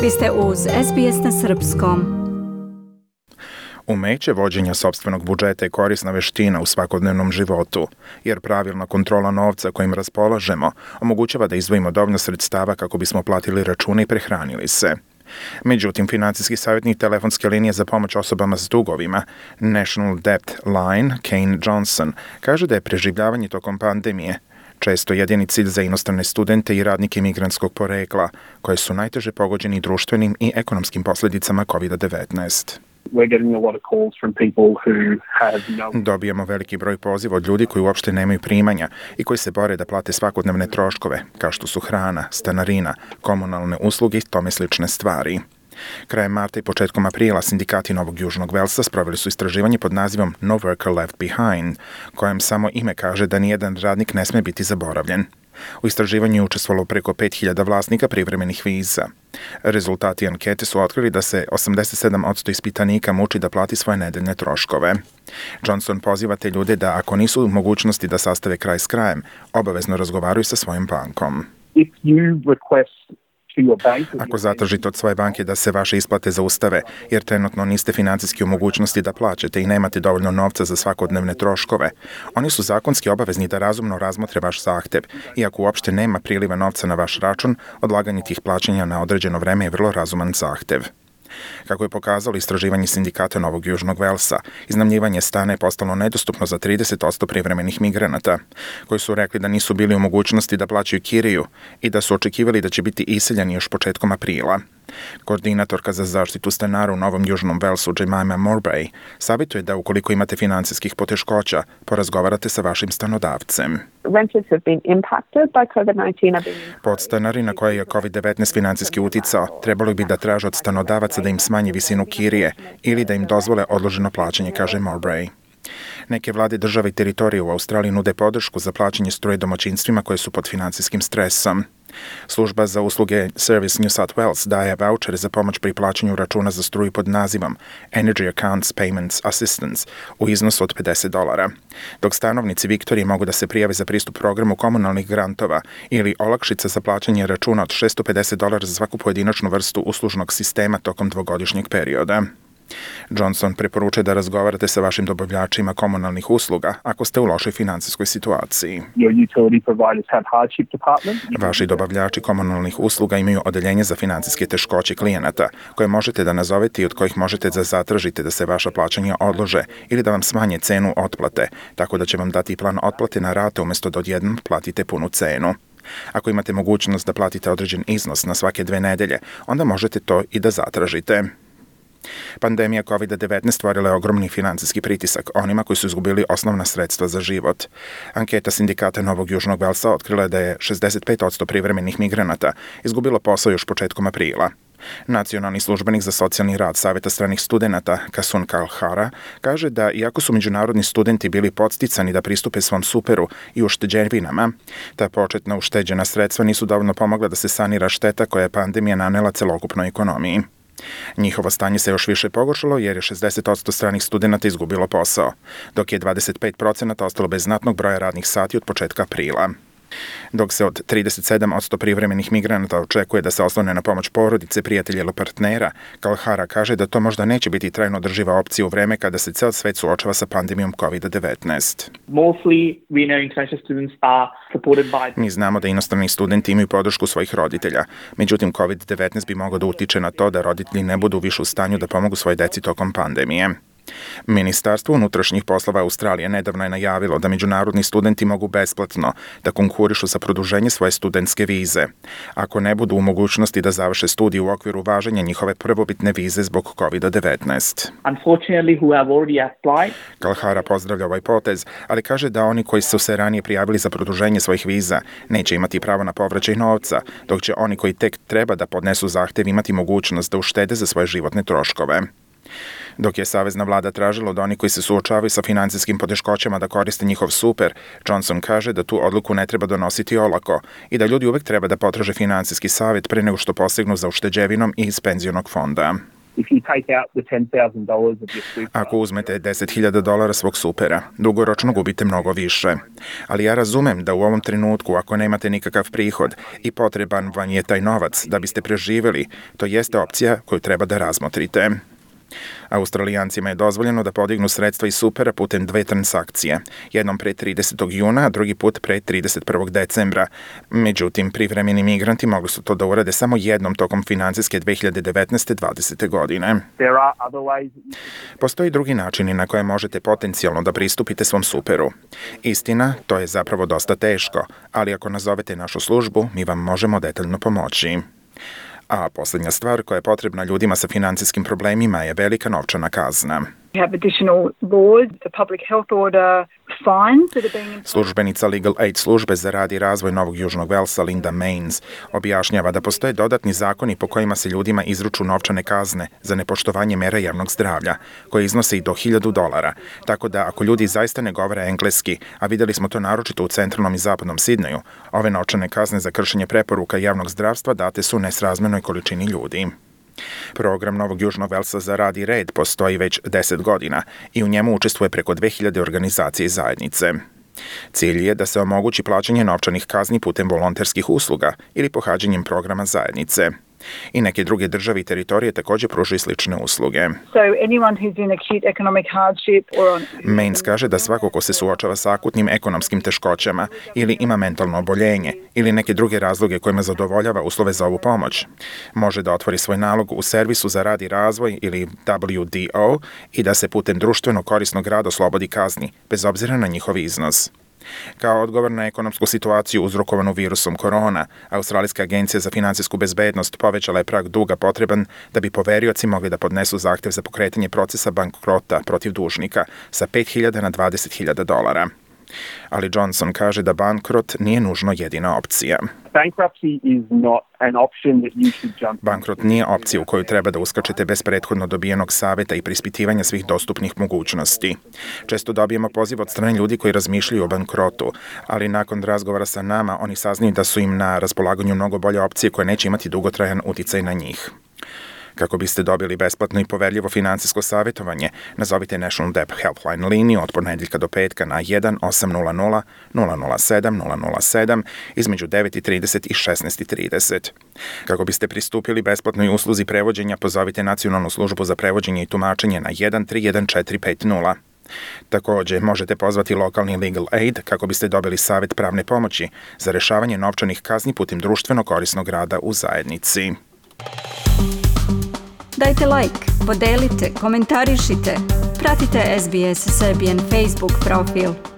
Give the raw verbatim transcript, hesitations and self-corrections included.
Vi ste uz S B S na srpskom. Umeće vođenja sopstvenog budžeta je korisna veština u svakodnevnom životu, jer pravilna kontrola novca kojim raspolažemo omogućava da izdvojimo dovoljno sredstava kako bismo platili račune i prehranili se. Međutim, financijski savjetnik telefonske linije za pomoć osobama s dugovima, National Debt Line, Kane Johnson, kaže da je preživljavanje tokom pandemije često jedini cilj za inostrane studente i radnike migrantskog porekla, koje su najteže pogođeni društvenim i ekonomskim posljedicama kovid devetnaest. Dobijamo veliki broj poziva od ljudi koji uopšte nemaju primanja i koji se bore da plate svakodnevne troškove, kao što su hrana, stanarina, komunalne usluge i tome slične stvari. Krajem marta i početkom aprila sindikati Novog Južnog Velsa sproveli su istraživanje pod nazivom No Worker Left Behind, kojem samo ime kaže da nijedan radnik ne sme biti zaboravljen. U istraživanju je učestvovalo preko pet hiljada vlasnika privremenih viza. Rezultati ankete su otkrili da se osamdeset sedam posto ispitanika muči da plati svoje nedeljne troškove. Johnson poziva te ljude da, ako nisu u mogućnosti da sastave kraj s krajem, obavezno razgovaraju sa svojim bankom. If you request Ako zatražite od svoje banke da se vaše isplate zaustave, jer trenutno niste financijski u mogućnosti da plaćate i nemate dovoljno novca za svakodnevne troškove, oni su zakonski obavezni da razumno razmotre vaš zahtev, iako uopšte nema priliva novca na vaš račun, odlaganje tih plaćanja na određeno vreme je vrlo razuman zahtev. Kako je pokazalo istraživanje sindikata Novog Južnog Velsa, iznajmljivanje stana je postalo nedostupno za trideset posto privremenih migranata, koji su rekli da nisu bili u mogućnosti da plaćaju kiriju i da su očekivali da će biti iseljeni još početkom aprila. Koordinatorka za zaštitu stanara u Novom Južnom Velsu, Jemima Mowbray, savjetuje da ukoliko imate financijskih poteškoća, porazgovarate sa vašim stanodavcem. Podstanari na koje je kovid devetnaest financijski uticao trebalo bi da traže od stanodavaca da im smanji visinu kirije ili da im dozvole odloženo plaćanje, kaže Mowbray. Neke vlade države i teritorije u Australiji nude podršku za plaćanje struje domaćinstvima koje su pod financijskim stresom. Služba za usluge Service New South Wales daje vouchere za pomoć pri plaćanju računa za struju pod nazivom Energy Accounts Payments Assistance u iznosu od pedeset dolara, dok stanovnici Viktorije mogu da se prijave za pristup programu komunalnih grantova ili olakšica za plaćanje računa od šesto pedeset dolara za svaku pojedinačnu vrstu uslužnog sistema tokom dvogodišnjeg perioda. Johnson preporučuje da razgovarate sa vašim dobavljačima komunalnih usluga ako ste u lošoj financijskoj situaciji. Vaši dobavljači komunalnih usluga imaju odeljenje za financijske teškoće klijenata, koje možete da nazovete i od kojih možete da zatražite da se vaša plaćanja odlože ili da vam smanje cenu otplate, tako da će vam dati plan otplate na rate umjesto da odjednom platite punu cenu. Ako imate mogućnost da platite određen iznos na svake dve nedelje, onda možete to i da zatražite. Pandemija kovid devetnaest stvorila je ogromni financijski pritisak onima koji su izgubili osnovna sredstva za život. Anketa sindikata Novog Južnog Velsa otkrila je da je šezdeset pet posto privremenih migranata izgubilo posao još početkom aprila. Nacionalni službenik za socijalni rad Saveta stranih studenata, Kasun Kalhara, kaže da iako su međunarodni studenti bili podsticani da pristupe svom superu i ušteđevinama, ta početna ušteđena sredstva nisu dovoljno pomogla da se sanira šteta koja je pandemija nanela celokupnoj ekonomiji. Njihovo stanje se još više pogoršalo jer je šezdeset posto stranih studenata izgubilo posao, dok je dvadeset pet posto ostalo bez znatnog broja radnih sati od početka aprila. Dok se od trideset sedam posto privremenih migranata očekuje da se oslone na pomoć porodice, prijatelja ili partnera, Kalhara kaže da to možda neće biti trajno održiva opcija u vreme kada se ceo svet suočava sa pandemijom kovid devetnaest. Mi znamo da inostrani studenti imaju podršku svojih roditelja, međutim kovid devetnaest bi mogao da utiče na to da roditelji ne budu više u stanju da pomogu svojoj deci tokom pandemije. Ministarstvo unutrašnjih poslova Australije nedavno je najavilo da međunarodni studenti mogu besplatno da konkurišu za produženje svoje studentske vize, ako ne budu u mogućnosti da završe studije u okviru važenja njihove prvobitne vize zbog kovid devetnaest. Kalhara pozdravlja ovaj potez, ali kaže da oni koji su se ranije prijavili za produženje svojih viza neće imati pravo na povraćaj novca, dok će oni koji tek treba da podnesu zahtev imati mogućnost da uštede za svoje životne troškove. Dok je savezna vlada tražila od onih koji se suočavaju sa financijskim poteškoćama da koriste njihov super, Johnson kaže da tu odluku ne treba donositi olako i da ljudi uvek treba da potraže finansijski savjet pre nego što posegnu za ušteđevinom iz penzionog fonda. if you take out the ten thousand dollars of your super. Ako uzmete deset hiljada dolara svog supera, dugoročno gubite mnogo više. Ali ja razumem da u ovom trenutku, ako nemate nikakav prihod i potreban vam je taj novac da biste preživjeli, to jeste opcija koju treba da razmotrite. Australijancima je dozvoljeno da podignu sredstva iz supera putem dve transakcije, jednom pre tridesetog juna, a drugi put pre trideset prvog decembra. Međutim, privremeni migranti mogli su to da urade samo jednom tokom finansijske dve hiljade devetnaeste dvadesete godine. There are other ways that you can... Postoji drugi načini na koje možete potencijalno da pristupite svom superu. Istina, to je zapravo dosta teško, ali ako nazovete našu službu, mi vam možemo detaljno pomoći. A posljednja stvar koja je potrebna ljudima sa financijskim problemima je velika novčana kazna. We have additional laws, the public health order, fines that are being imposed. Službenica Legal Aid službe za rad i razvoj Novog Južnog Velsa Linda Mains objašnjava da postoje dodatni zakoni po kojima se ljudima izruču novčane kazne za nepoštovanje mera javnog zdravlja, koje iznose i do hiljadu dolara. Tako da ako ljudi zaista ne govore engleski, a vidjeli smo to naročito u centralnom i zapadnom Sidneju, ove novčane kazne za kršenje preporuka javnog zdravstva date su nesrazmernoj količini ljudi. Program Novog Južnog Velsa za rad i red postoji već deset godina i u njemu učestvuje preko dve hiljade organizacije i zajednice. Cilj je da se omogući plaćanje novčanih kazni putem volonterskih usluga ili pohađanjem programa zajednice. I neke druge države i teritorije također pružaju slične usluge. So anyone who's in acute economic hardship or on... Mains kaže da svako ko se suočava sa akutnim ekonomskim teškoćama ili ima mentalno oboljenje ili neke druge razloge kojima zadovoljava uslove za ovu pomoć, može da otvori svoj nalog u servisu za rad i razvoj ili W D O i da se putem društveno korisnog rada oslobodi kazni, bez obzira na njihov iznos. Kao odgovor na ekonomsku situaciju uzrokovanu virusom korona, Australijska agencija za finansijsku bezbednost povećala je prag duga potreban da bi poverioci mogli da podnesu zahtev za pokretanje procesa bankrota protiv dužnika sa pet hiljada na dvadeset hiljada dolara. Ali Johnson kaže da bankrot nije nužno jedina opcija. Bankruptcy is not an option that you should jump. Bankrot nije opcija u koju treba da uskačete bez prethodno dobijenog saveta i preispitivanja svih dostupnih mogućnosti. Često dobijemo poziv od strane ljudi koji razmišljaju o bankrotu, ali nakon razgovora sa nama oni saznaju da su im na raspolaganju mnogo bolje opcije koje neće imati dugotrajan uticaj na njih. Kako biste dobili besplatno i poverljivo finansijsko savjetovanje, nazovite National Debt Helpline liniju od ponedjeljka do petka na jedan osam nula nula nula nula sedam nula nula sedam između devet i trideset i šesnaest i trideset. Kako biste pristupili besplatnoj usluzi prevođenja, pozovite Nacionalnu službu za prevođenje i tumačenje na jedan tri jedan četiri pet nula. Također, možete pozvati lokalni Legal Aid kako biste dobili savjet pravne pomoći za rešavanje novčanih kazni putem društveno korisnog rada u zajednici. Dajte like, podelite, komentarišite. Pratite S B S Serbian Facebook profil.